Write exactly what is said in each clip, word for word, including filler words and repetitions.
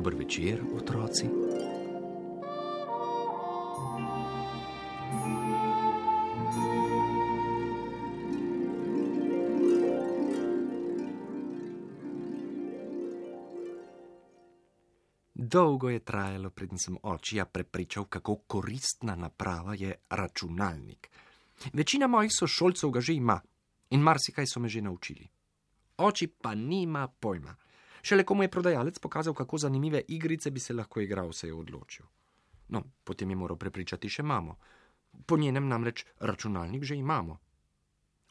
Dober večer, otroci. Dolgo je trajalo, preden sem očija prepričal, kako koristna naprava je računalnik. Večina mojih sošolcev ga že ima in marsikaj so me že naučili. Oči pa nima pojma. Šele ko mu je prodajalec pokazal, kako zanimive igrice bi se lahko igral, se je odločil. No, potem je moral prepričati še mamo. Po njenem namreč računalnik že imamo.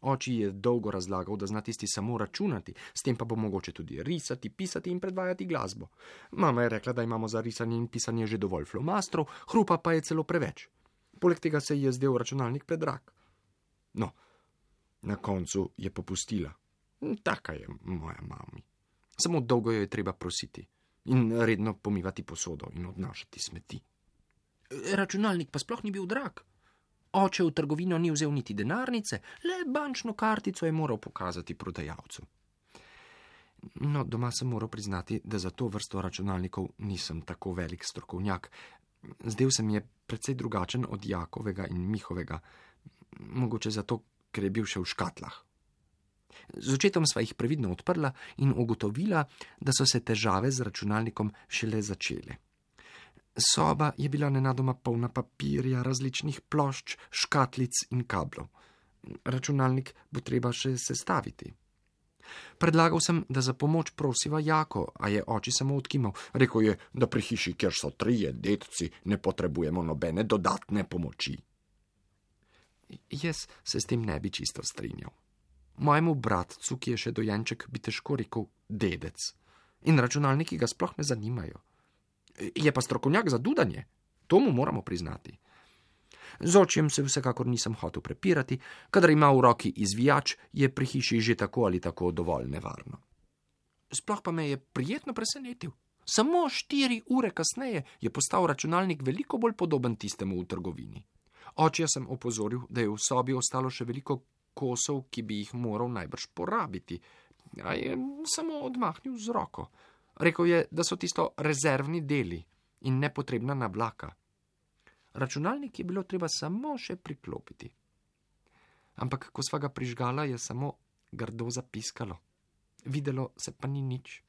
Oči je dolgo razlagal, da zna tisti samo računati, s tem pa bo mogoče tudi risati, pisati in predvajati glasbo. Mama je rekla, da imamo za risanje in pisanje že dovolj flomastrov, hrupa pa je celo preveč. Poleg tega se ji je zdel računalnik predrag. No, na koncu je popustila. Taka je moja mami. Samo dolgo jo je treba prositi in redno pomivati posodo in odnašati smeti. Računalnik pa sploh ni bil drag. Oče v trgovino ni vzel niti denarnice, le bančno kartico je moral pokazati prodajalcu. No, doma sem moral priznati, da za to vrsto računalnikov nisem tako velik strokovnjak. Zdel se mi je precej drugačen od Jakovega in Mihovega, mogoče zato, ker je bil še v škatlah. Z očetom sva jih previdno odprla in ugotovila, da so se težave z računalnikom šele začele. Soba je bila nenadoma polna papirja, različnih plošč, škatlic in kablov. Računalnik bo treba še sestaviti. Predlagal sem, da za pomoč prosiva Jako, a je oči samo odkimal. Rekel je, da pri hiši, kjer so trije dedci, ne potrebujemo nobene dodatne pomoči. Jaz se s tem ne bi čisto strinjal. Mojemu bratcu, ki je še dojenček, bi težko rekel dedec. In računalniki ga sploh ne zanimajo. Je pa strokovnjak za dudanje, to mu moramo priznati. Z očjem se vsekakor nisem hotel prepirati, kadar ima v roki izvijač, je pri hiši že tako ali tako dovolj nevarno. Sploh pa me je prijetno presenetil. Samo štiri ure kasneje je postal računalnik veliko bolj podoben tistemu v trgovini. Očja sem opozoril, da je v sobi ostalo še veliko kosov, ki bi jih moral najbrž porabiti, a je samo odmahnil z roko. Rekel je, da so tisto rezervni deli in nepotrebna nablaka. Računalnik je bilo treba samo še priklopiti. Ampak, ko sva ga prižgala, je samo grdo zapiskalo. Videlo se pa ni nič.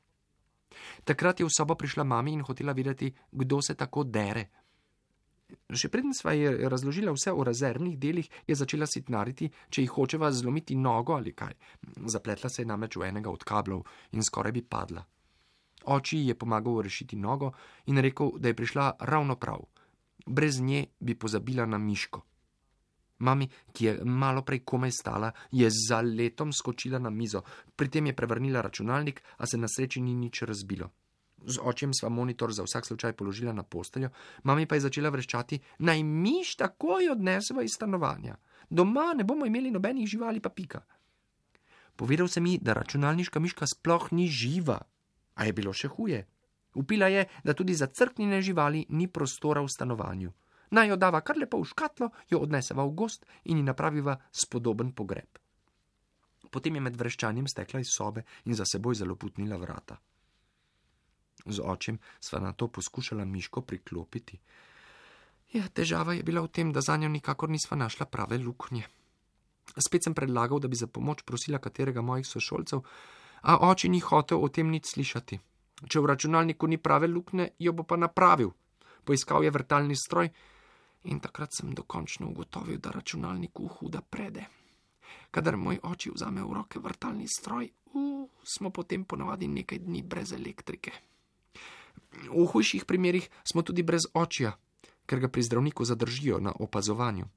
Takrat je v sobo prišla mami in hotela videti, kdo se tako dere. Še preden sva je razložila vse o rezervnih delih, je začela sitnariti, če jih hočeva zlomiti nogo ali kaj. Zapletla se je namreč v enega od kablov in skoraj bi padla. Oči je pomagal rešiti nogo in rekel, da je prišla ravno prav. Brez nje bi pozabila na miško. Mami, ki je malo prej komaj stala, je za letom skočila na mizo. Pri tem je prevrnila računalnik, a se na sreči ni nič razbilo. Z očjem sva monitor za vsak slučaj položila na posteljo, mami pa je začela vreščati, naj miš takoj odneseva iz stanovanja. Doma ne bomo imeli nobenih živali pa pika. Povedal se mi, da računalniška miška sploh ni živa. A je bilo še huje. Upila je, da tudi za crknjene živali ni prostora v stanovanju. Naj jo dava kar lepo v škatlo, jo odneseva v gozd in ji napraviva spodoben pogreb. Potem je med vreščanjem stekla iz sobe in za seboj zaloputnila vrata. Z očem sva na to poskušala miško priklopiti. Ja, težava je bila v tem, da zanjo nikakor nisva našla prave luknje. Spet sem predlagal, da bi za pomoč prosila katerega mojih sošolcev, a oči ni hotel o tem nič slišati. Če v računalniku ni prave luknje, jo bo pa napravil. Poiskal je vrtalni stroj in takrat sem dokončno ugotovil, da računalniku huda prede. Kadar moj oči vzame v roke vrtalni stroj, uh, smo potem ponavadi nekaj dni brez elektrike. V hujših primerih smo tudi brez očja, ker ga pri zdravniku zadržijo na opazovanju.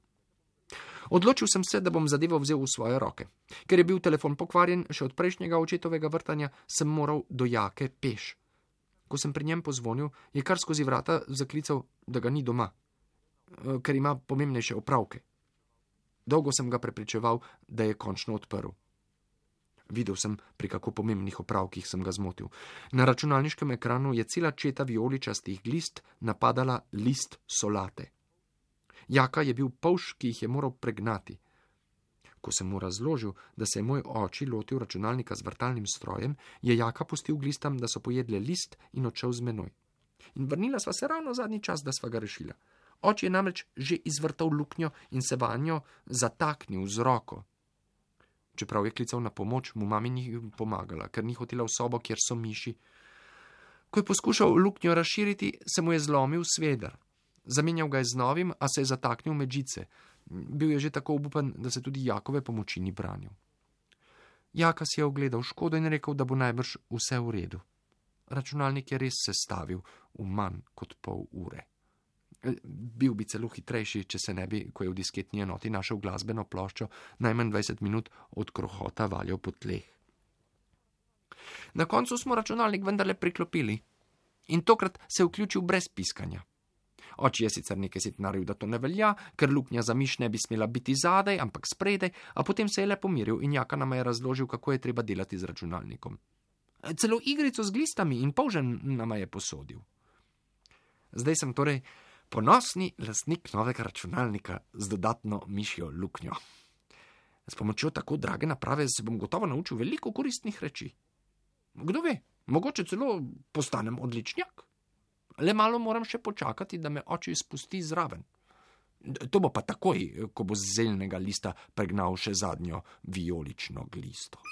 Odločil sem se, da bom zadevo vzel v svoje roke. Ker je bil telefon pokvarjen še od prejšnjega očetovega vrtanja, sem moral do Jake peš. Ko sem pri njem pozvonil, je kar skozi vrata zaklical, da ga ni doma, ker ima pomembnejše opravke. Dolgo sem ga prepričeval, da je končno odprl. Videl sem, pri kako pomembnih opravkih sem ga zmotil. Na računalniškem ekranu je cela četa vijoličastih glist napadala list solate. Jaka je bil polž, ki jih je moral pregnati. Ko sem mu razložil, da se je moj oči lotil računalnika z vrtalnim strojem, je Jaka pustil glistam, da so pojedle list in odšel z menoj. in vrnila sva se ravno zadnji čas, da sva ga rešila. Oči je namreč že izvrtal luknjo in se vanjo zataknil z roko. Čeprav je klical na pomoč, mu mami ni pomagala, ker ni hotela v sobo, kjer so miši. Ko je poskušal luknjo razširiti, se mu je zlomil sveder. Zamenjal ga je z novim, a se je zataknil med žice. Bil je že tako obupan, da se tudi Jakove pomoči ni branil. Jaka si je ogledal škodo in rekel, da bo najbrž vse v redu. Računalnik je res sestavil v manj kot pol ure. Bil bi celo hitrejši, če se ne bi, ko je v disketni enoti našel glasbeno ploščo, najmanj dvajset minut od krohota valjal po tleh. Na koncu smo računalnik vendarle priklopili in tokrat se je vključil brez piskanja. Oči je sicer nekaj sitnaril, da to ne velja, ker luknja za miš ne bi smela biti zadaj, ampak spredaj, a potem se je le pomiril in Jaka nama je razložil, kako je treba delati z računalnikom. Celo igrico z glistami in polžen nama je posodil. Zdaj sem torej ponosni lastnik novega računalnika z dodatno mišjo luknjo. S pomočjo tako drage naprave se bom gotovo naučil veliko koristnih reči. Kdo ve, mogoče celo postanem odličnjak. Le malo moram še počakati, da me oči spusti zraven. To bo pa takoj, ko bo z zeljnega lista pregnal še zadnjo vijolično glisto.